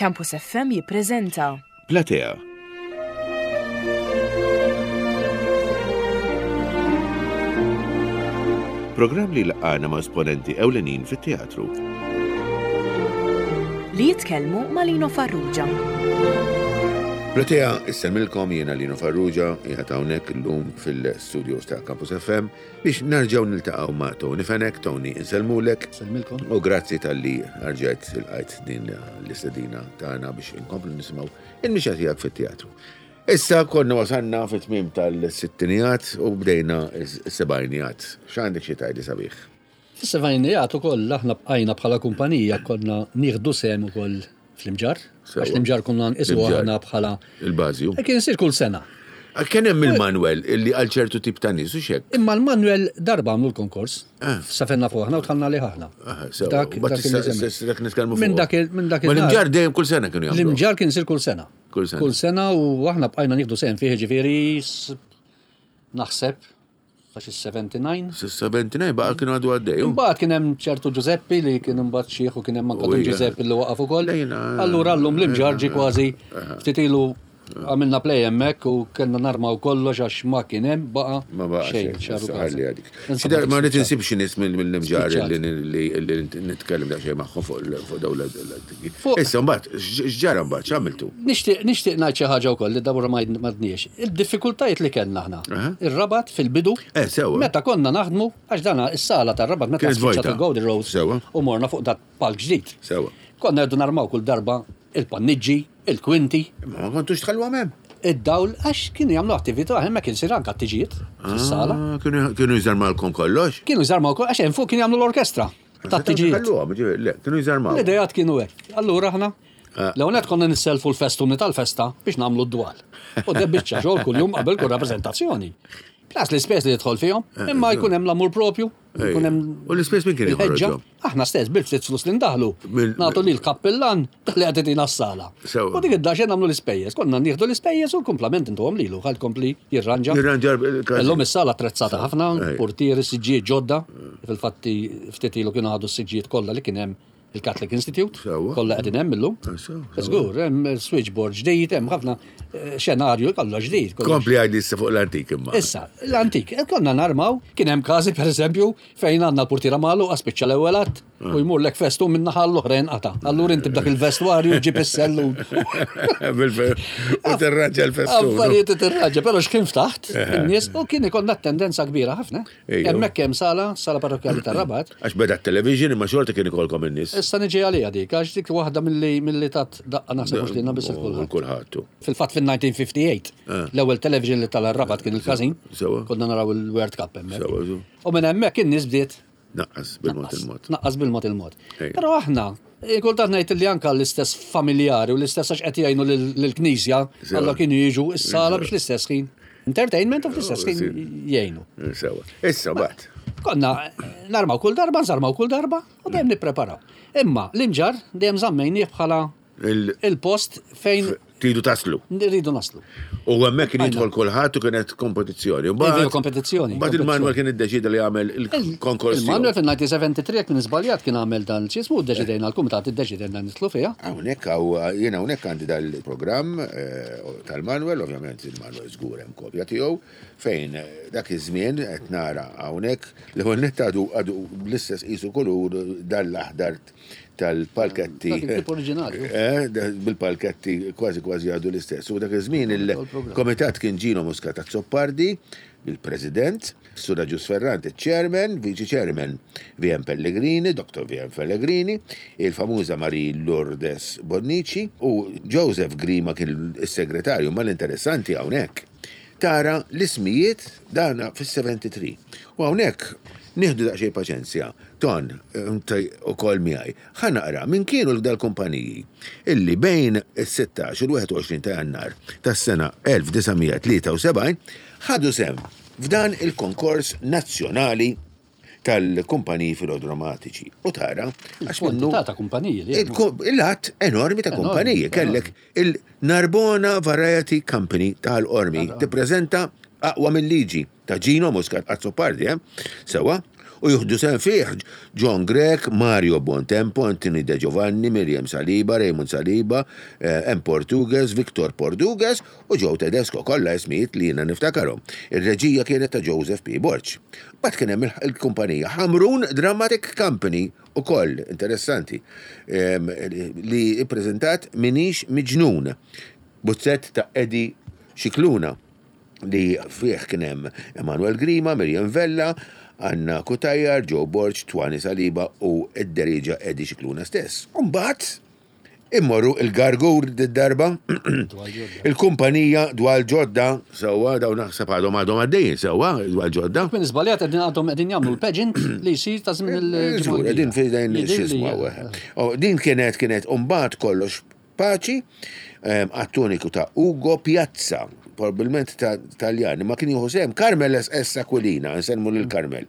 Campus FM jippreżenta. Platea. Programm li laqgħana ma' esponenti ewlenin fit-teatru. Li jitkellmu ma' Lino Farrugia. Platea, isselmilkom jiena Lino Farrugia, qiegħed hawnhekk illum fil-studios ta' Campus FM Biex nerġgħu niltaqgħu ma' Tony Fenech, Tony insellmulek. Insellmilkom. U grazzi talli rġajt ilqajt din l-istedina tagħna biex inkomplu nisimgħu il-mixja tiegħek fit-teatru. Issa konna wasalna fit-tmiem tal-sittinijat u bdejna s-sebgħinijat. X'għandek xi tgħidli sabiħ? Fis-sebgħinijat ukoll aħna bqajna bħala kumpanija konna nieħdu sehem ukoll Fl-Imġarr? Għax l-Imġarr konna nqisu aħna bħala. Il-bażi. E kien isir kull sena. Kien hemm il-Manuel illi għal ċertu tip ta' nies u xek. Imma l-Manuel darba għamlu l-konkors. Ah. Safenna fuq aħna u tħallna lih aħna. Ah, dak dak nitkellmu fuq. Minn dak minn dak Ma l-Imġarr dejjem kull sena kienu jagħmlu. L-Imġarr kien isir kull sena. Kull sena. Kull sena u aħna bqajna nieħdu sehem fih ġifieri naħseb Sa xi 79. Sa 79 baqa' kienu għadu għaddej. Imbagħad kien hemm ċertu Ġużeppi li kien imbagħad xieħ u kien hemm anke Dun Ġużeppi li waqaf ukoll. Allura llum l-imġarġi kważi ftit ilu għamilna play hemmhekk u kellna narmaw kollox għax ma kien hemm baqa' Ma baqa' xejn. Xi ma rrid insib xi nies mill-imġarr li nitkellem daqsxejn magħhom fuq dawn l-antiki. Issa mbagħad x'ġara mbagħad x'għamiltu? Nixtieq nixtieq ngħid xi ħaġa wkoll li Deborah ma għidniex. Il-diffikultajiet li kellna aħna. Ir-Rabat fil-bidu. Eh, sewwa. Meta konna naħdmu, għax dana is-sala tar-Rabat meta spiċċat il-Golden Rose. Sewwa. U morna fuq dak palk ġdid. Sewwa. Konna rridu narmaw kull darba il-panniġġi, il-kwinti. Imma ma kontux tħalluhom hemm. Id-dawl għax kienu jagħmlu attività hemmhekk kien isir anke t-tiġijiet fis-sala. Ah, kienu jżarmawlkom kollox? Kienu jżarmaw kollox għax hemm fuq kienu jagħmlu l-orkestra. Tat-tiġijiet. Le, kienu jżarmaw. L-idejat kienu hekk. Allura aħna ah. l-ewwel konna nisselfu l-festuni tal-festa biex nagħmlu d-dwal. U de biċċa xogħol kuljum qabel kull rappreżentazzjoni. Plus l-ispejjeż li jidħol fihom, eh, imma jkun hemm l-amur propju, jkun hemm. U l-ispejjeż min kien joħroġhom? Aħna stess bil-ftit flus li ndaħlu. Nagħtu lil kappillan li qed itina s-sala. U dik id-daxen nagħmlu l-ispejjeż. Konna nieħdu l-ispejjeż u l-kumplament intuhom lilu ħal kompli jirranġa. Jirranġa. Illum is-sala attrezzata ħafna, portieri, siġġijiet ġodda. Fil-fatti ftit ilu kienu ħadu s-siġġijiet kollha li kien hemm il-Catholic Institute, kollha qegħdin hemm illum. Żgur, hemm switchboard ġdid, hemm ħafna eh, xenarju kollu ġdid. Kompli għajdi issa fuq l-antik imma. Issa, l-antik, eh, konna narmaw, kien hemm każi pereżempju fejn għandna l-portiera magħluqa spiċċa l-ewwel att u ah. jmurlek festu minn naħa l-oħra jinqata'. Allura inti b'dak il-vestwarju ġib is-sellu. U tirraġġa l-festu. Affarijiet tirraġġa, però x'kien ftaħt eh. in-nies u kien ikollna tendenza kbira ħafna. Hemmhekk hemm sala, sala parrokkjali tar-Rabat. Għax beda t-television imma xorta kien ikolkom in-nies. Issa niġi għaliha dik, għax dik waħda milli milli tat daqqa naħseb mhux lilna biss il kulħadd. Kulħadd. Fil-fatt fin-1958, eh. l-ewwel television li tala r-Rabat kien il-każin. Sewa. Konna naraw il-World Cup hemmhekk. Sewa. U minn hemmhekk in-nies bdiet Naqqas bil-mod il-mod. Naqqas bil-mod il-mod. Però aħna, eh, kultant ngħid li anka l-istess familjari u l-istess għax qed jgħinu lill-knisja, alla kienu jiġu s-sala biex l-istess ħin. Entertainment u fl-istess ħin jgħinu. Sewa. Issa bat. Konna narmaw kull darba, nżarmaw kull darba u dejjem nippreparaw. Imma l-imġar dejjem żammejnieh bħala il-post fejn Tridu taslu. Rridu naslu. U hemmhekk kien jidħol kulħadd u kienet kompetizzjoni. Mbagħad kompetizzjoni. Mbagħad il-Manuel kien iddeċida li jagħmel il-konkors. Il-Manuel fil-1973 jekk minn żbaljat kien għamel dan ċismu ddeċidejna l-kumitat iddeċidejna nidħlu fiha. Hawnhekk hawn jiena hawnhekk għandi dal-programm eh, tal-Manuel, ovvjament il-Manuel żgur hemm kopja tiegħu, fejn eh, dak iż-żmien qed nara hawnhekk l-ewwel nett għadu għadu bl-istess qisu kulur dal-aħdar tal-palketti. Dak il-tip oriġinali. Eh, bil-palketti kważi kważi għadu l-istess. U dak iż-żmien il-komitat kien Gino Muscat Azzopardi, il-President, Sur Agius Ferrante, Chairman, Viċi Chairman, VM Pellegrini, Dr. VM Pellegrini, il-famuża Marie Lourdes Bonnici u Joseph Grima kien is-segretarju, ma l-interessanti hawnhekk tara l-ismijiet dana fis-73. U hawnhekk nieħdu daqsxejn paċenzja. Ton, inti ukoll miegħi. Ħa naqra min kienu dal-kumpaniji illi bejn is-16 u l-21 ta' Jannar tas-sena 1973 ħadu sehem f'dan il-konkors nazzjonali tal-kumpaniji filodramatiċi. U tara, għax minnu. Ta' kumpaniji. Il-għadd enormi ta' kumpaniji. Kellek il-Narbona Variety Company tal-Qormi tippreżenta aqwa mill-liġi. ta' Gino Muscat Azzopardi, eh? Sewa, u jieħdu sehem fih John Grech, Mario Buontempo, Anthony De Giovanni, Miriam Saliba, Raymond Saliba, eh, M. Portugues, Victor Portugues u Joe Tedesco, kollha ismijiet li jiena niftakarhom. Ir-reġija kienet ta' Joseph P. Borg. Mbagħad kien hemm il-kumpanija Ħamrun Dramatic Company ukoll interessanti li ppreżentat Minix Miġnun, buzzett ta' Eddie Scicluna li fih kien hemm Emanuel Grima, Miriam Vella, Anna Cutajar, Joe Borg, Twani Saliba u d-derieġa Eddie Scicluna stess. U mbagħad immorru il-Gargur d-darba, il-kumpanija Dwal Ġodda, sewwa dawn naħseb għadhom għadhom għaddejjin sewwa Dwal Ġodda. Jekk minn żbaljat qegħdin għadhom qegħdin jagħmlu l-pageant li jsir ta' żmien il-ġimgħa. Żgur, qegħdin f'idejn x'ismu Din kienet kienet u mbagħad kollox Paċi, Attuniku ta' Ugo Piazza, probabbilment ta' Taljan, imma kien jieħu sehem Carmel S. Aquilina, insellmu lil Carmel,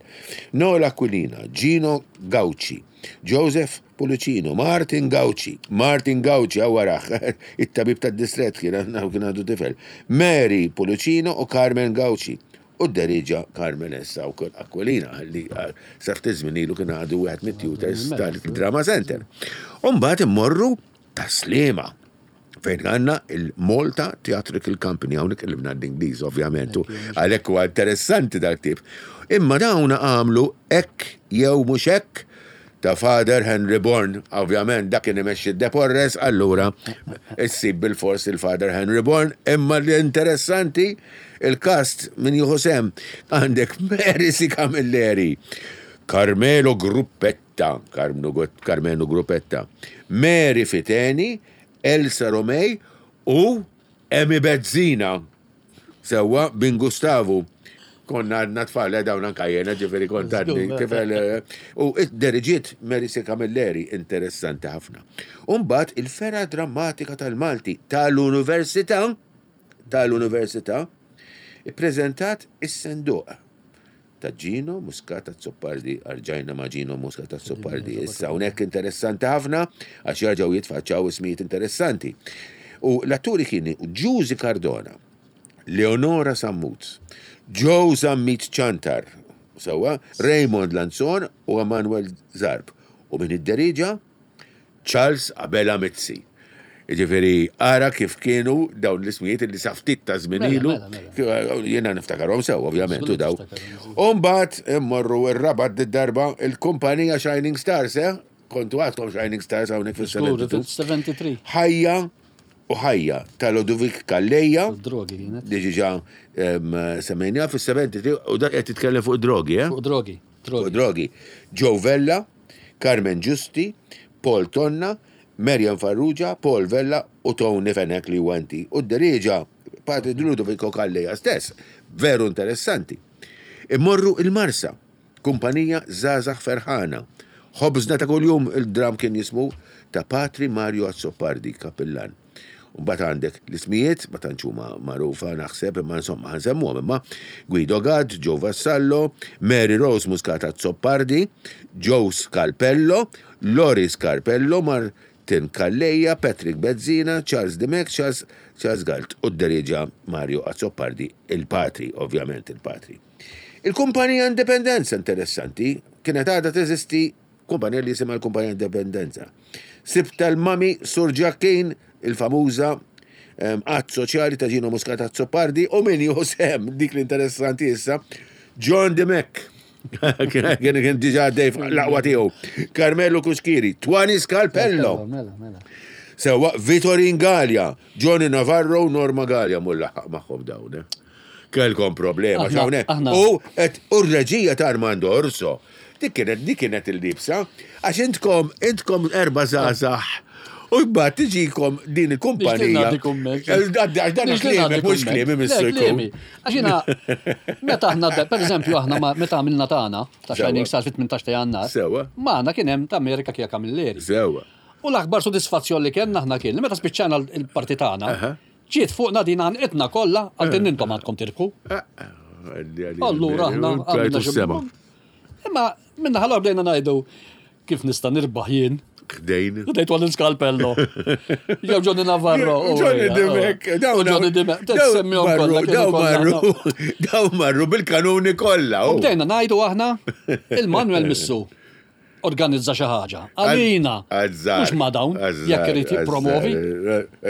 Noel Aquilina, Gino Gauci, Joseph Pullicino, Martin Gauci, Martin Gauci, hawn warah, it-tabib tad-distrett kien kien għandu tifel, Mary Pullicino u Carmen Gauci. U dderieġa Carmen issa wkoll Aquilina li sa ftit żmien ilu kien għadu wieħed mit-tutors tal-Drama Center. U mbagħad immorru Tas-Sliema fejn għandna il-Malta Theatrical Company, hawnhekk qlibna l-Ingliż ovvjament, u għalhekk huwa interessanti dal-ktieb. Imma dawn għamlu hekk jew mhux hekk ta' Father Henry Bourne, ovvjament dak kien imexxi d-Deporres, allura issib bilfors il-Father Henry Bourne, imma l-interessanti il-cast min jieħu sehem għandek Mary C. Camilleri, Carmelo Gruppetta, Carmelo Gruppetta, Mary Fiteni, Elsa Romei u Emi Bezzina. Sewwa, bin Gustavu. Konna għadna tfal, eh, dawn anka jena, ġifieri kont għadni tifel. Eh, u id-deriġiet Mary C. Camilleri, interessanti ħafna. Umbagħad il-fergħa drammatika tal-Malti tal-Università, tal-Università, ippreżentat is-senduq ta' Gino Muscat Azzopardi, arġajna ma' Gino Muscat Azzopardi. Issa hawnhekk interessanti ħafna għax jarġgħu jitfaċċaw ismijiet interessanti. U l-atturi kienu Ġużi Cardona, Leonora Sammut, Joe Zammit Ciantar, sewwa, Raymond Lanzon u Emanuel Zarb. U min idderiġa? Charles Abela Mizzi. Jiġifieri ara kif kienu dawn l-ismijiet li sa ftit ta' żmien mela, ilu. Mela, mela. Jiena niftakarhom sew, ovvjament, u daw. U mbagħad immorru r-Rabat darba il-kumpanija Shining Stars, eh? Kontu għadkom Shining Stars hawnhekk fis-73. Ħajja u ħajja ta' Ludovic Calleja. Drogi kienet. Li ġiġa semmejniha fis-73 u dak qed titkellem fuq drogi, eh? Fuq drogi. Fuq drogi. Joe Vella, Carmen Giusti, Paul Tonna, Marian Farrugia, Paul Vella u Tony Fenech li huwa inti. U d-derieġa Patri Ludovico Calleja stess. Veru interessanti. Immorru il-Marsa. Kumpanija Żgħażagħ Ferħana. Ħobżna ta' kuljum il-dramm kien jismu ta' Patri Mario Azzopardi, kappillan. U mbagħad għandek l-ismijiet, ma tantx huma magħrufa naħseb, imma insomma ħa nsemmuhom imma Guido Gatt, Joe Vassallo, Mary Rose Muscat Azzopardi, Joe Scarpello, Lori Scarpello, Martin Calleja, Patrick Bezzina, Charles Dimech, Charles Charles Galt u d-derieġa Mario Azzopardi, il-patri, ovvjament il-patri. Il-kumpanija Indipendenza interessanti, kienet għadha teżisti kumpanija li jisimha l-kumpanija Indipendenza. Sib tal-mami Sur Ġakkin, il-famuża att soċjali ta' Gino Muscat Azzopardi u min jieħu sehem dik l-interessanti issa, John Dimech. Kien kien diġà għaddej l-aqwa tiegħu. Carmelo Cuschieri, Twani Scarpello. Mela, mela. Sewa Vitorin Gallia, Johnny Navarro u Norma Gallia mulla magħhom dawn. Eh. Kellkom problema x'hawnhekk. U qed u r-reġija ta' Armando Orso. Dik kienet dik kienet il-libsa. Għax intkom intkom erba' żgħażagħ. U mbagħad tiġikom din il-kumpanija. Għax dan kliemi mhux kliemi missu jkun. Għax jiena meta aħna pereżempju aħna meta għamilna tagħna ta' Shining Star fit-18 ta' Jannar. Sewa. Magħna kien hemm ta' Amerika Kija Camilleri. Sewa. U l-akbar sodisfazzjon li kellna aħna kien li meta spiċċajna l-parti tagħna, Ġiet fuqna din għanqitna kollha, qaltilna intom għandkom tirbħu. Allura aħna għamilna xi. Imma minna ħalor bdejna ngħidu kif nista' nirbaħ jien. Ħdejn. Ħdejn Tony Scalpello. Jew Johnny Navarro. Johnny Dimek. Johnny Dimek. Semmihom kollha. Daw marru, daw marru bil-kanuni kollha. U bdejna ngħidu aħna il-Manuel Missu organizza xi ħaġa. Għalina. Mhux ma dawn, jekk irid jippromovi.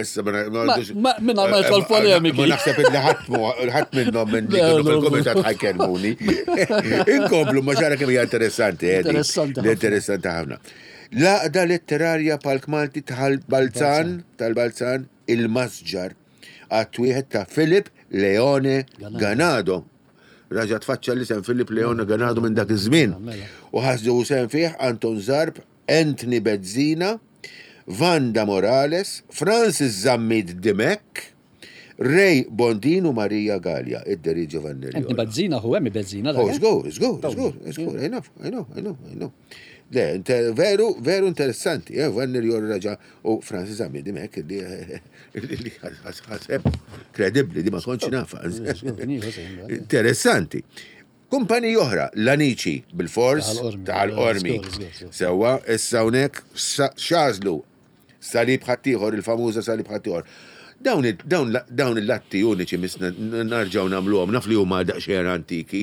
Issa ma Minna ma jidħol polemiki. Ma naħseb illi ħadd minnhom minn li kienu fil-kumitat ħajkellmuni. Inkomplu ma xara kemm hija interessanti. Eh, interessanti. Interessanti ħafna. L-għaqda letterarja Palk Malti tal-Balzan, tal-Balzan, il-Masġar, għat wieħed ta' Philip Leone Ganado. Raġa tfaċċa l-isem Philip Leone Ganado minn dak iż-żmien. Mela. U ħasdu sem fih Anton Zarb, Anthony Bezzina, Vanda Morales, Francis Zammit Dimech, Ray Bondin u Maria Gallia, id-deri Giovanni Anthony Bezzina, hu hemm Bezzina. Oh, żgur, żgur, żgur, żgur, I know, I know, I know, I know. Le, veru, veru interessanti, eh, Vanni Rjor raġa u Francis Zammit Dimech, li ħaseb kredibli, di ma kontx nafa. Interessanti. Kumpaniji oħra, l-Anici, bil-fors, tal-Qormi. Sewa, issa hawnhekk xażlu Salib ħaddieħor, il-famuża salib ħaddieħor. Dawn dawn il-latti uniċi misna narġgħu nagħmluhom, naf li huma daqsxejn antiki,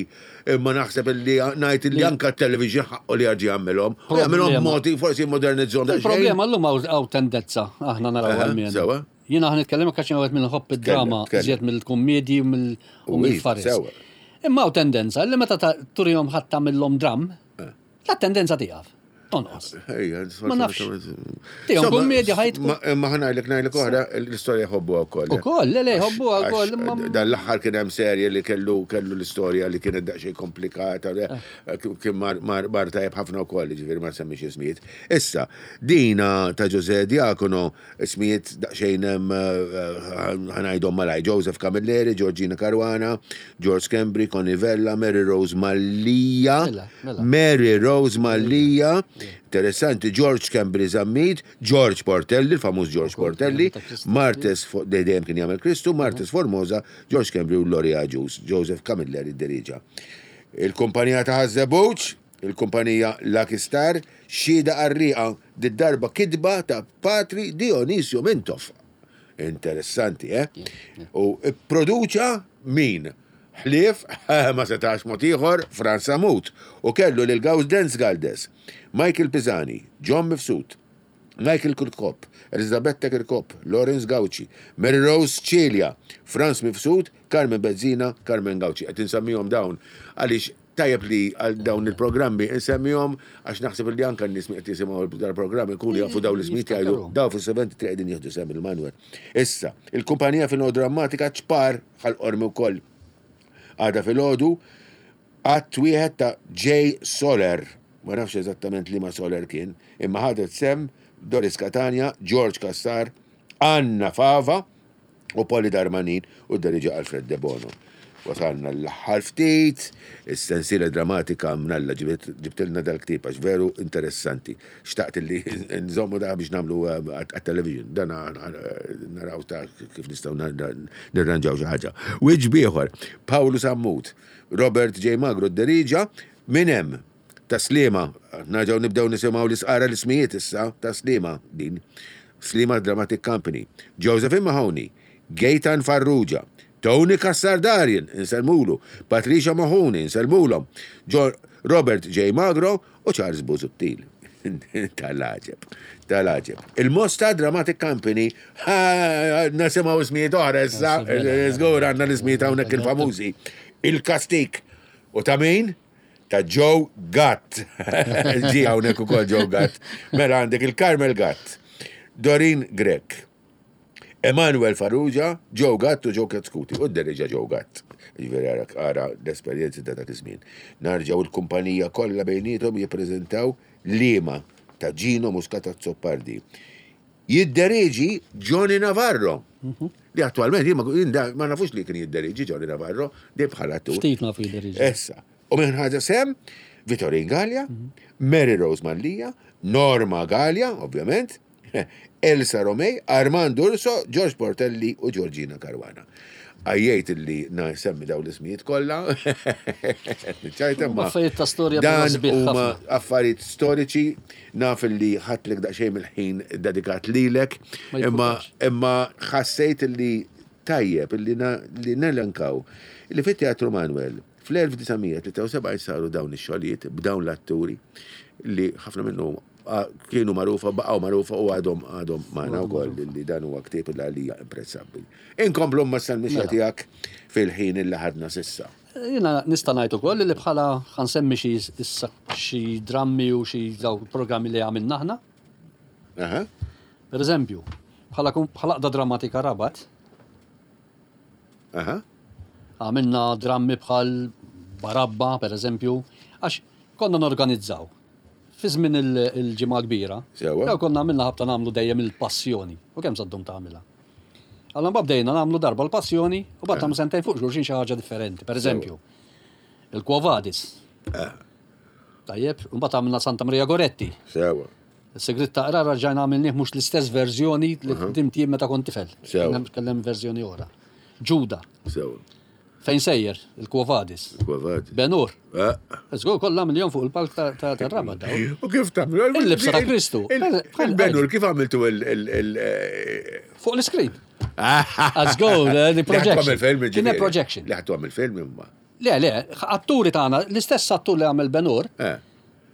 imma naħseb li ngħid li anke t-television ħaqqu li jarġa' jagħmilhom. U jagħmilhom b'modi forsi jimmodernizzhom daqsxejn. Il-problema llum hawn tendenza aħna naraw għalmenu. Sewa. Jiena ħa nitkellem għax jiena wieħed minn nħobb id-drama iżjed mill-kummedji u mill-faris. Imma hawn tendenza li meta turihom ħadd tagħmilhom dramm, La tendenza tieqaf. Tonqos. Ma nafx. Tihom kummedja ħajtku. Ma ħanajlek ngħidlek oħra, l-istorja jħobbuha wkoll. Ukoll, le le jħobbuha wkoll. Dan l-aħħar kien hemm serje li kellu kellu l-istorja li kienet daqsxejn komplikata, eh. kien mar tajjeb ħafna wkoll, ġifieri ma semmix ismijiet. Issa, dina ta' Ġuże Diakono Ismijiet daqsxejn hemm ħa ngħidhom malajr, Joseph Camilleri, Georgina Caruana, George Schembri, Connie Vella, Mary Rose Mallia, Mary Rose Mallia, interessanti, George Schembri Zammit, George Portelli, il-famuż George Portelli, Martes, dejjem kien jagħmel Kristu, Martes Formosa, George Schembri u Lori Agius, Joseph Camilleri dderiġa. Il-kumpanija ta' Ħaż-Żebbuġ, Il-kumpanija Lucky Star, xhieda qarrieqa, did-darba kitba ta' Patri Dionisio Mintoff. Interessanti, eh? U pproduċa min? Ħlief, ma setax mod ieħor, Frans Sammut. U kellu lil Gawdenz Galdes, Michael Pisani, John Mifsud, Michael Kirkop, Elizabetta Kirkop, Lawrence Gauci, Mary Rose Cilia, Frans Mifsud, Carmen Bezzina, Carmen Gauci. Qed insemmihom dawn għaliex Tajjeb li għal dawn il-programmi insemmihom għax naħseb li anke n-nies qed jisimgħu dal-programm ikunu jafu dawn l-ismijiet jgħidu daw fis-73 qegħdin jieħdu sehem il-Manuel. Issa, il-kumpanija filodrammatika ċpar Ħal Qormi wkoll għada filgħodu att wieħed ta' J. Soler, ma nafx eżattament liema Soler kien, imma ħadet sehem Doris Catania, George Cassar, Anna Fava, u Polly Darmanin u d-deriġa Alfred Debono. Wasalna l-aħħar ftit, is-sensiela drammatika mnalla ġibtilna dal-ktieb għax veru interessanti. Xtaqt li nżommu da biex nagħmlu eh, għat-television, dan naraw ta' kif nistgħu nirranġaw xi ħaġa. Wiċċ bieħor, Pawlu Sammut, Robert J. Magro d-deriġa, minn hemm Ta' Sliema, nerġgħu nibdew nisimgħu l-isqara l-ismijiet issa, ta' Sliema din. Sliema Dramatic Company. Josephine Mahoney, Gaetan Farrugia, Tony Cassar Darien, insellmulu, Patricia Mahoney, insellmulhom, Robert J. Magro u Charles Busuttil. Tal-għaġeb, tal-għaġeb. Il-Mosta Dramatic Company, nisimgħu ismijiet oħra issa, żgur għandna l-ismijiet hawnhekk il-famużi. Il-Kastik. U ta' min? Ta' Joe Gatt. Ġi hawnhekk ukoll Joe Gatt. Mela għandek il-Carmel Gatt, Dorin Grech, Emanuel Farrugia, Joe Gatt u Joe Chetcuti. U d-deriġa Joe Gatt. Ġifieri ara ara l-esperjenzi ta' dak iż-żmien. Narġgħu l-kumpanija kollha bejniethom jippreżentaw Liema ta' Gino Muscat Azzopardi. Jidderieġi Johnny Navarro. Li attualment jien ma nafux li kien jidderieġi Johnny Navarro, dejjem bħala attur. Ftit nafu jidderieġi. Issa. U minn ħaġa sem, Vitorin Gallia, Mary Rose Mallia, Norma Gallia, ovvjament, Elsa Romei, Armando Urso, George Portelli u Georgina Caruana. Għajjejt illi nsemmi dawn l-ismijiet kollha. Niċċajta ma. Affarijiet ta' storja dan huma affarijiet storiċi naf illi ħadtlek daqsxejn mill-ħin dedikat lilek, imma imma ħassejt illi tajjeb illi li nelenkaw li fit-Teatru Manuel fl-1973 saru dawn ix-xogħlijiet b'dawn l-atturi li ħafna minnhom kienu magħrufa, baqgħu magħrufa u għadhom għadhom magħna wkoll li dan huwa ktieb li għalija imprezzabbli. Inkomplu ma sal-mixja mela. tiegħek fil-ħin illi ħadna sissa. Jiena nista' ngħid ukoll li bħala ħansemmi xi issa xi drammi u xi daw programmi li għamilna aħna. Aha. Per eżempju, bħala bħala qda drammatika Rabat. Aha. Għamilna drammi bħal Barabba, per eżempju, għax konna norganizzaw Fi żmien il-Ġimgħa l-Kbira, Sewwa. konna għamilna ħabta nagħmlu dejjem il-Passjoni. U kemm sa ddum tagħmilha? Allura mbagħad bdejna nagħmlu darba l-Passjoni u mbagħad nagħmlu sentejn fuq xulxin xi ħaġa differenti. Per eżempju, il-Quo Vadis. Tajjeb, u mbagħad għamilna Santa Maria Goretti. Sewwa. Is-Sigriet ta' Qrar rġajna għamilnieh mhux l-istess verżjoni li ħdimt jien meta kont tifel. Sewwa. Kellem verżjoni oħra. Ġuda. Sewwa. Fejn sejjer? Il-Quo Vadis. Il-Quo Vadis. Ben-Hur. Eh. Żgur kollha għamilhom fuq il-palk ta' Rabat daw. U kif tagħmlu? Il-libsa ta' Kristu. Il-Ben-Hur kif għamiltu il- eh, Fuq l-iskrin. Let's go, the projection. Kien hemm projection. Li ħadtu għamil film imma. Le, le, atturi tagħna, l-istess attur li għamel Ben-Hur. Eh.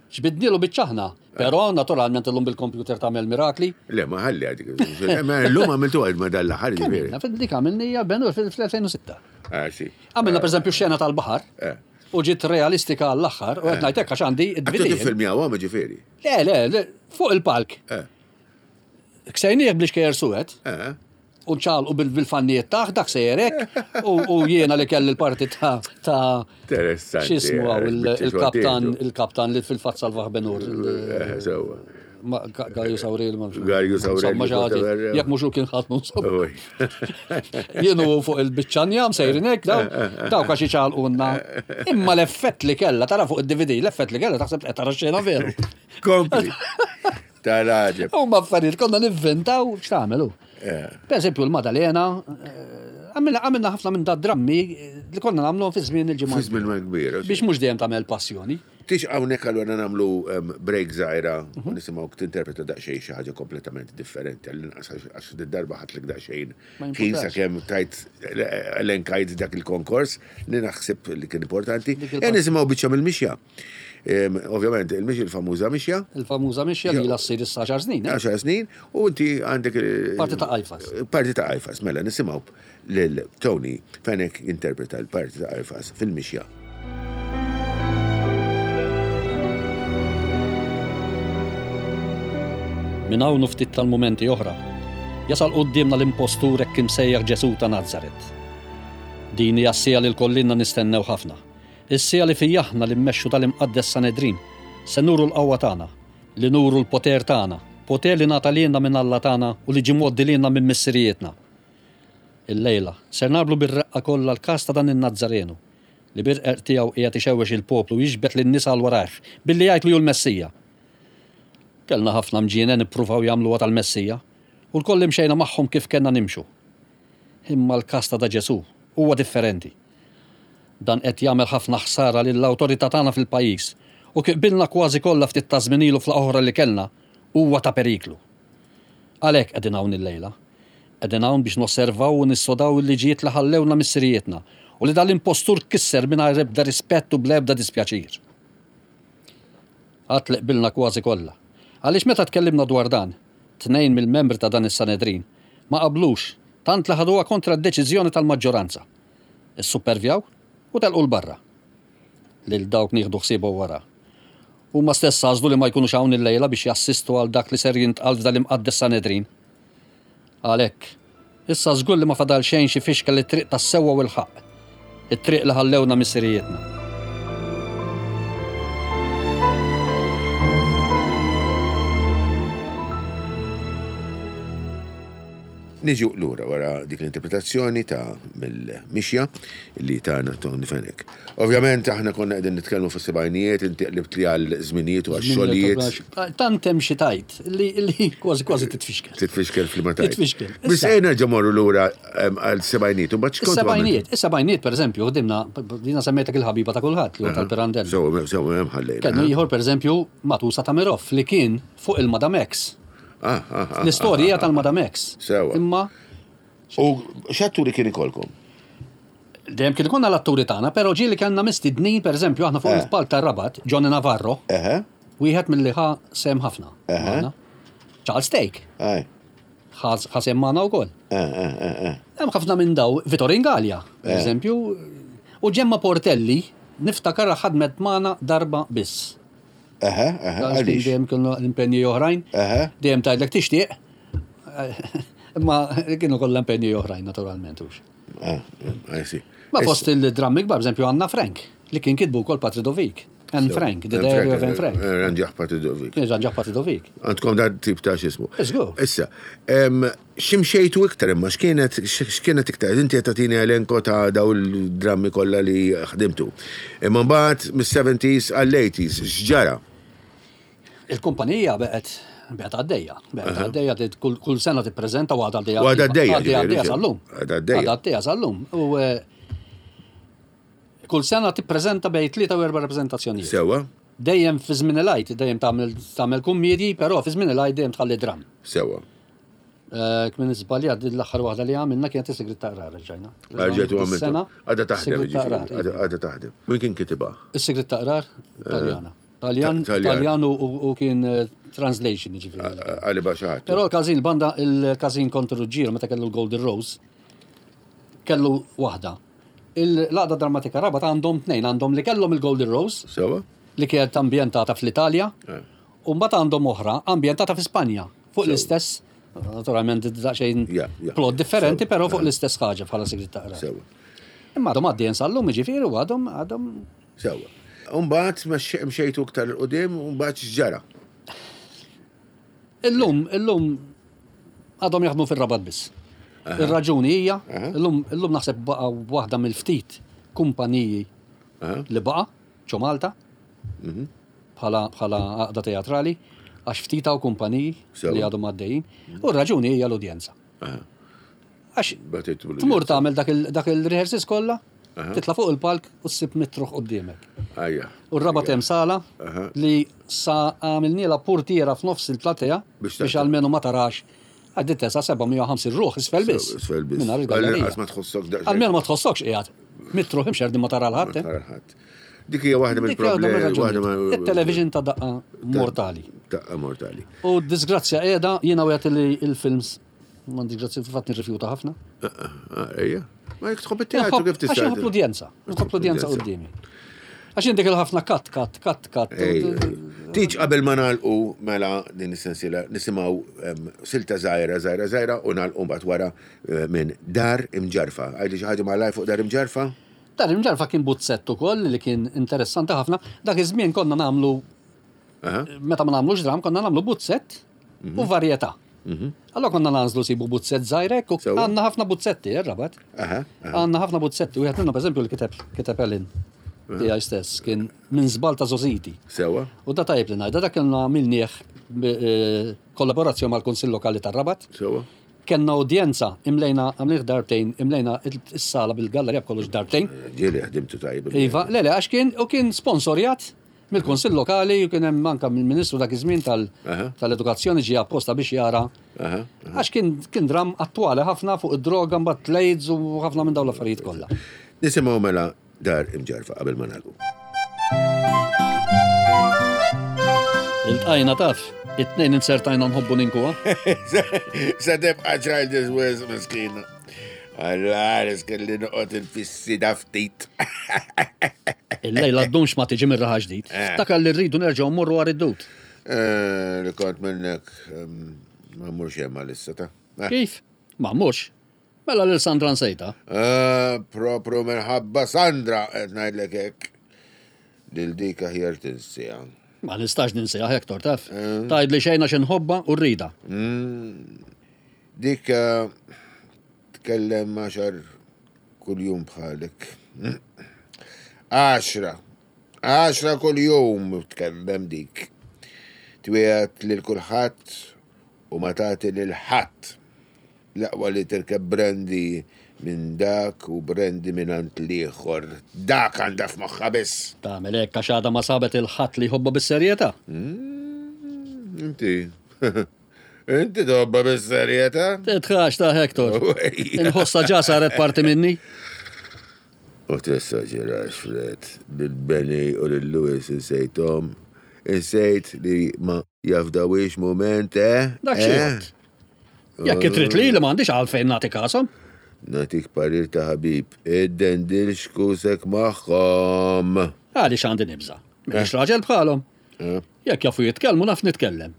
Ġbidnilu biċċa aħna, però naturalment illum bil-kompjuter tagħmel mirakli. Le, ma ħalli għadik. Illum għamiltu għad ma dal-aħħar ġifieri. Dik għamilnija Ben-Hur fil-2006. Ah, si. Għamilna pereżempju xena tal-baħar. Eh. U ġiet realistika għall-aħħar, u qed ngħid hekk għax għandi id-DVD. Għattu filmjaw għam ġifieri. Le, le, le, fuq il-palk. Eh. Ksejnieh bl-ixkejjer suwed. Eh. U ċalqu bil-fannijiet taħ, dak sejjerek, u jiena li kelli l-parti ta' ta' Interessanti. X'ismu għaw il-kaptan, il-kaptan li fil-fatt salvaħ Benur. Eh, sewwa. Gajus Aurel. Gajus Aurel. Jekk mhux hu kien ħadd mhux. Jien u fuq il-biċċa njam sejrin hekk daw, dawk għax iċalqunna. Imma l-effett li kellha, tara fuq id-DVD, l-effett li kellha taħseb qed tara xena veru. Kompli. Tal-għaġeb. Huma affarijiet konna nivvintaw x'tagħmel hu. Eh. Per eżempju l-Madalena, eh, għamilna ħafna minn da drammi eh, li konna nagħmlu fi żmien il-ġimgħa. Fi żmien ma kbir. Biex mhux dejjem tagħmel passjoni. Tix hawnhekk allura nagħmlu break żgħira u mhm. nisimgħu tinterpreta daqsxejn xi ħaġa kompletament differenti għall-inqas għax darba ħatlek daqsxejn ħin sakemm tajt elenkajt dak il-konkors li naħseb li kien importanti. E nisimgħu biċċa mill-mixja. Ovvjament, il-mixja il-famuża mixja. Il-famuża mixja li la ssir issa 10 snin. 10 eh? snin, u inti għandek. Parti ta' Qajfas. Parti ta' Qajfas, mela nisimgħu lil Tony Fenech jinterpreta l-parti ta' Qajfas fil-mixja. Minn hawn u ftit tal-mumenti oħra, jasal quddiemna l-impostur hekk imsejjaħ Ġesù ta' Nazaret. Din hija s-siegħa li lkoll ilna nistennew ħafna. Is-siegħa li fija aħna li mmexxu tal-Imqaddes Sanedrin se nuru l-qawwa tagħna, li nuru l-poter tagħna, poter li ngħata lilna minn Alla tagħna u li ġie mgħoddi lilna minn missirijietna. Illejla, ser nagħrblu bir-reqqa kollha l-każ ta' dan in-Nazzarenu, li bir-qerq tiegħu qiegħed ixewwex il-poplu u jiġbed lin-nies għal warajh, billi jgħid li hu l-Messija. Kellna ħafna mġienen ippruvaw jagħmluha tal-Messija, u lkoll imxejna magħhom kif kellna nimxu. Imma l-każ ta' da Ġesù huwa differenti. Dan qed jagħmel ħafna ħsara lill-awtorità tagħna fil-pajjiż u kif qbilna kważi kollha ftit taż-żmien ilu f'laqgħa oħra li kellna, huwa ta' periklu. Għalhekk qegħdin hawn illejla. Qegħdin hawn biex nosservaw u nissodaw il-liġijiet li ħallewlna missirijietna u li dal-impostur kisser mingħajr ebda rispett u bla ebda dispjaċir. Għad li qbilna kważi kollha. Għaliex meta tkellimna dwar dan, tnejn mill-membri ta' dan is-Sanedrin ma qablux tant li ħaduha kontra d-deċiżjoni tal-maġġoranza. Issuppervjaw u telqu 'l barra. Lil dawk nieħdu ħsiebhom wara. Huma stess għażlu li ma jkunux hawn illejla biex jassistu għal dak li ser jintqal f'dal-imqaddes Sanedrin. Għalhekk, issa żgur li ma fadal xejn xi fixkel it-triq tas-sewwa u l-ħaqq, it-triq li ħallewna missirijietna. Niġu lura wara dik l-interpretazzjoni ta' mill-mixja li tana Tony Fenech. Ovvjament aħna konna qegħdin nitkellmu fis-sebgħinijiet, inti qlibt li għal żminijiet u għax xogħlijiet. Tant hemm xi tajt li li kważi kważi titfixkel. Titfixkel fl ma tajt. Titfixkel. Biss ejja nerġa' morru lura għal sebgħinijiet u mbagħad x'kont Is-sebgħinijiet, is-sebgħinijiet pereżempju ħdimna dina semmejtek il-ħabiba ta' kulħadd li tal-Pirandello. Sew, sew hemm ħallejna. Kellu ieħor pereżempju Matusa Tamirov li kien fuq il-Madame X. Ah, ah, ah, L-istorja tal-Madame X. Sewa. Imma U x'atturi kien ikolkom? Dejjem kien ikollna l-atturi tagħna, però ġieli kellna mistednin, pereżempju aħna fuq Eh. il-palk tar-Rabat, Johnny Navarro, Eħe, wieħed milli ħa sehem ħafna. Eħe. magħna. Charles Take, aj. ħa ħa sehem magħna wkoll. Eh, eh, eh, eh. Hemm ħafna minn daw, Vittorin Gallia, pereżempju, u Gemma Portelli, niftakar ħadmet magħna darba biss. Eħe, eħe, Għax kien għaliex? Dejjem kienu l-impenji oħrajn. Eħe. Dejjem tgħidlek tixtieq. Imma kienu kollha impenji oħrajn naturalment hux. Ah, I see. Ma fost il-drammi kbar, eżempju, Anna Frank, li kien kitbu wkoll Patri Dovik. Anne Frank, The Diary of Anne Frank. Ranġaħ Patri Dovik. Kien ġanġaħ Patri Dovik. Għandkom dan tip ta' xismu. Żgur. Issa, em, ximxejtu iktar imma x'kienet x'kienet iktar? Inti qed tagħtini elenko ta' daw il-drammi kollha li ħdimtu. Imma mbagħad mis-70s għall-80s x'ġara? Il-kumpanija beqgħet beqgħet għaddejja. Beqgħet għaddejja tit- kull kull sena tippreżenta u għadha għaddejja. U għadha għaddejja, Għaddejja ġifieri, għaddejja sal-lum. Għadha għaddejja. Għadha għaddejja sal-lum. U eh, kull sena tippreżenta bejn tlieta u erba' rappreżentazzjonijiet. Sewa, Dejjem fi żmien il-għid, dejjem tagħmel tagħmel kummedji, però fi żmien il-għid dejjem tħalli dram. sewa. Eh, Kmin iżbaljat din l-aħħar waħda li għamilna kienet is-sigrit ta' qrar ġajna. Għarġet u għamiltu. Sena, Għadha taħdem, Sigrit ta' ġifieri, Qrar, għadha għadha taħdem. Min kien kitibha? Is-sigrit ta' qrar, Taljana. Taljan, Taljan. Taljan u- u u kien eh, translation ġifieri. Għali baxaħat. Però l-każin, banda il-każin kontra Ruġġiero meta kellu l-Golden Rose, kellu waħda. Il-laqda drammatika Rabat għandhom tnejn, għandhom li kellhom il-Golden Rose, Sewa? li kienet ambjentata fl-Italja, Eh. u mbagħad għandhom oħra ambjentata fi Spanja, fuq l-istess, naturalment daqsxejn Ja, ja, plot ja, differenti, sewa, però fuq eh. l-istess ħaġa bħala sigrit ta' qrar. Sewa. Imma għadhom għaddejjin sal-lum, jiġifieri, u għadhom għadhom Sewa. Umbagħad mxejtu iktar il-qudiem, umbagħad x'ġara? Illum, illum għadhom jaħdmu fir-Rabat biss. Ir-raġuni hija, illum illum naħseb baqa' waħda mill-ftit kumpaniji Aha. li baqa' ġo Malta bħala bħala għaqda teatrali għax ftit hawn kumpaniji Sewa. li għadhom għaddejjin. U r-raġuni hija l-udjenza. Aha. Għax Bagħtitu l-udjenza. tmur tagħmel dak il- dak il-rehearsals kollha, titla' fuq il-palk u ssib mitruħ quddiemek. Ajja. U r-rabat hemm sala Aha. li sa għamilniela portiera f'nofs il-platea Biex biex taħdem. almenu ma tarax. Għaddi tesa 750 ruħ isfel biss. Isfel biss. Mingħajr il-gallerija. Għall-inqas ma tħossok daqsxejn. Almenu ma tħossokx qiegħed. Mitruħ imxerdi ma tara l-ħadd. eh. Tara l-ħadd. Dik hija waħda Dik hija waħda mill-problemi. mir-raġunijiet. waħda ma- Il-television ta' daqqa mortali. Daqqa mortali. U d-disgrazzja qiegħda jiena wieħed li il-films ma disgrazzja fil-fatt nirrifjuta ħafna. Ah, Ejja. Ma jek tħobb it-teatru kif Għax tista' inħobb l-udjenza. Nħobb l-udjenza qudiemi. Għax indik il-ħafna kat, kat, kat, kat. Ej, Tiġ qabel ma nagħlqu mela din is-sensiela nisimgħu em, silta żgħira żgħira żgħira u nagħlqu mbagħad wara eh, minn Dar Imġarfa. Għajli xi ħaġa malaj fuq Dar Imġarfa? Dar imġarfa kien buzzett ukoll li kien interessanti ħafna. Dak iż-żmien konna nagħmlu Aha. meta ma nagħmlux dram konna nagħmlu buzzett u varjetà. Allora konna nagħżlu sibu buzzett żgħirek u Sewa. għandna ħafna buzzetti, ir-rabat. Aha, aha. Għandna ħafna buzzetti, wieħed minnhom pereżempju li kiteb kiteb Ellen tiegħi stess kien minn żball ta' Zoziti. Sewa. U da tajjeb li ngħidha dak kellna għamilnieh eh, kollaborazzjoni mal-Kunsill Lokali tar-Rabat. Sewa. Kenna udjenza imlejna għamlih darbtejn, imlejna is-sala bil-gallerija b'kollox darbtejn. Ġieli ħdimtu tajjeb. Iva, le, le, għax kien, u kien sponsorjat mill-Konsill Lokali u kien hemm anka mill-Ministru dak iż-żmien tal- Aha. tal-Edukazzjoni ġie apposta biex jara. Aha. Għax kien kien dram attwali ħafna fuq id-droga mbagħad l-AIDS u ħafna minn dawn l-affarijiet kollha. Nisimgħu mela Dar Imġarfa qabel ma nagħlqu. Iltqajna taf, it-tnejn insertajna nħobbu ninkuha. Sa tibqa' childish wis miskina. Alla, kelli noqgħod infissi da ftit. Il-lejla ddumx ma tiġi mir-raħa ġdid. Ftakar li rridu nerġgħu mmorru għar id-dut. Eh, Li kont minnek em, ma mmurx hemm għalissa ta'. Eh, Kif? Ma mmurx. Mela lil Sandra nsejta. Eh, Propru minħabba Sandra qed ngħidlek hekk. Lil dik aħjar tinsija. Ma nistax ninsiha Hector taf. Tgħid li xejn għax inħobba u rrida. Dik eh, tkellem għaxar kuljum bħalek. Għaxra. Għaxra kuljum tkellem dik. Twiegħed lil kulħadd u ma tagħti lil ħadd. L-aqwa li tirkeb brandy minn dak u brandy mingħand l-ieħor. Dak għandha f'moħħha biss. Tagħmel hekk għax għadha ma sabet 'il ħadd li jħobbha bis-serjetà. Inti. Inti tħobbha bis-serjetà? Tidħax ta' Hector. Inħossha ġa saret parti minni. U tessaġerax, Fred. Lil Benny u lil Louis insejthom. Insejt li ma jafdawhiex mument, eh? Dak xi jgħodd. Jekk trid lili m'għandix għalfejn nagħti kashom. Nagħtik parir ta' ħabib, iddendilx kusek magħhom. Għaliex għandi nibża'? M'iniex raġel bħalhom. Jekk jafu jitkellmu naf nitkellem.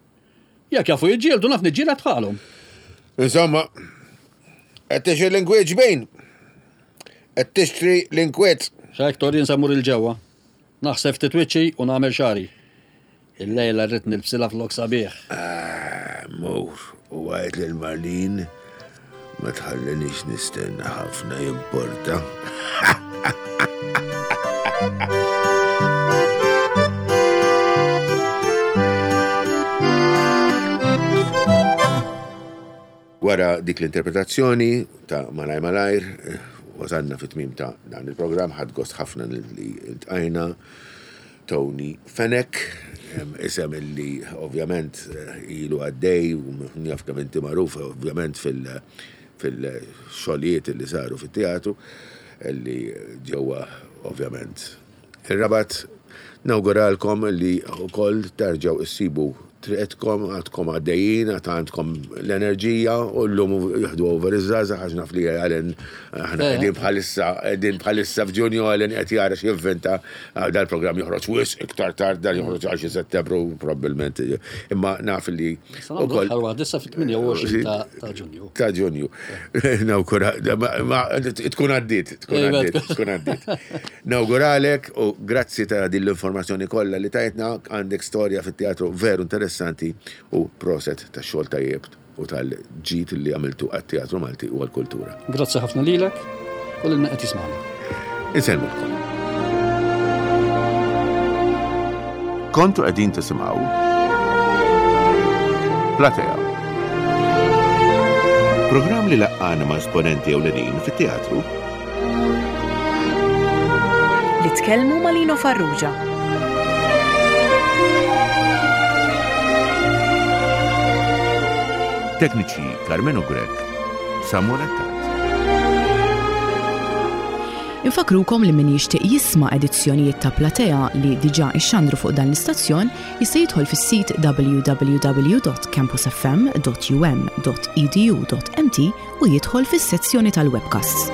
Jekk jafu jiġġieldu naf niġġieled bħalhom. Insomma, qed tixtri l-inkwiet ġbin. Qed tixtri l-inkwiet. X'Hector jien se mmur 'il ġewwa. Naħseb ftit wiċċi u nagħmel xagħri. Illejla rrid nilbsilha flok sabiħ. Ah, mur u għid lil Marlene ma tħallinix nistenna ħafna jimporta. Wara dik l-interpretazzjoni ta' Malajr Malajr, wasalna fit-tmiem ta' dan il-programm, ħadt gost ħafna li ltqajna Tony Fenech, isem illi ovvjament ilu għaddej u jaf kemm inti magħruf ovvjament fil-xogħlijiet li saru fit-teatru li ġewwa ovvjament ir-Rabat. Nawguralkom li wkoll terġgħu issibu triqtkom, għadkom għaddejjin, għad għandkom l-enerġija u llum jieħdu over iż-żgħażagħ għax naf li Alan aħna eh. qegħdin bħalissa qegħdin bħalissa f'Ġunju Alan qed jara x'jivvinta ah, dal-programm joħroġ wisq iktar tard dan joħroġ għal xi Settembru probabbilment. Imma naf li ukoll. Issa fit-28 ta' Ġunju. Ta' Ġunju. Nawgura, tkun għaddiet, tkun għaddiet, tkun għaddiet. Nawguralek u grazzi ta' din l-informazzjoni kollha li tajtna, għandek storja fit-teatru veru interessanti u proset tax-xogħol tajjeb u tal-ġid li għamiltu għat-teatru Malti u għall-kultura. Grazzi ħafna lilek u lil min qed jismagħna. Insellmulkom. Kontu qegħdin tisimgħu Platea. Programm li laqqana ma' esponenti ewlenin fit-teatru. Li tkellmu ma' Lino Farrugia. Tekniċi Carmenu Grech, Samuel Attard. Infakrukom li min jixtieq jisma' edizzjonijiet ta' Platea li diġà ixxandru fuq dan l-istazzjon jista' jidħol fis-sit www.campusfm.um.edu.mt u jidħol fis-sezzjoni tal-webcasts.